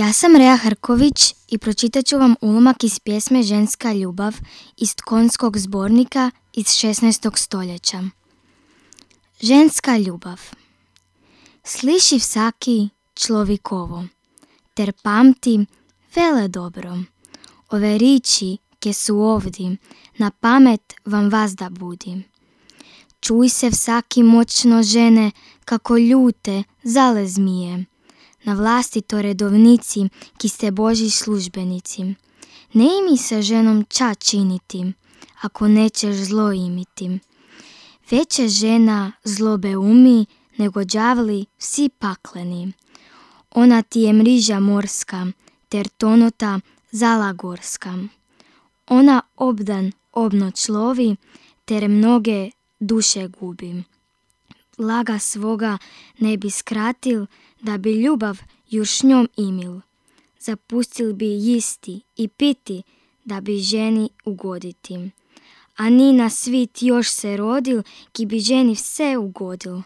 Ja sam Rea Hrković i pročitat ću vam ulomak iz pjesme Ženska ljubav iz Tkonskog zbornika iz 16. stoljeća. Ženska ljubav. Sliši vsaki človikovo, ter pamti vele dobro. Ove riči, ke su ovdi, na pamet vam vazda budi. Čuj se vsaki moćno žene, kako ljute zale zmije. Na vlasti to redovnici, ki ste Božji službenici. Ne imi se ženom ča činiti, ako nećeš zlo imiti. Veće žena zlobe umi, nego đavli vsi pakleni. Ona ti je mriža morska, ter tonota zala gorska. Ona obdan obnoć lovi, ter mnoge duše gubi. Laga svoga ne bi skratil, da bi ljubav još njom imil. Zapustil bi jisti i piti, da bi ženi ugoditi. A ni na svit još se rodil, ki bi ženi vse ugodil.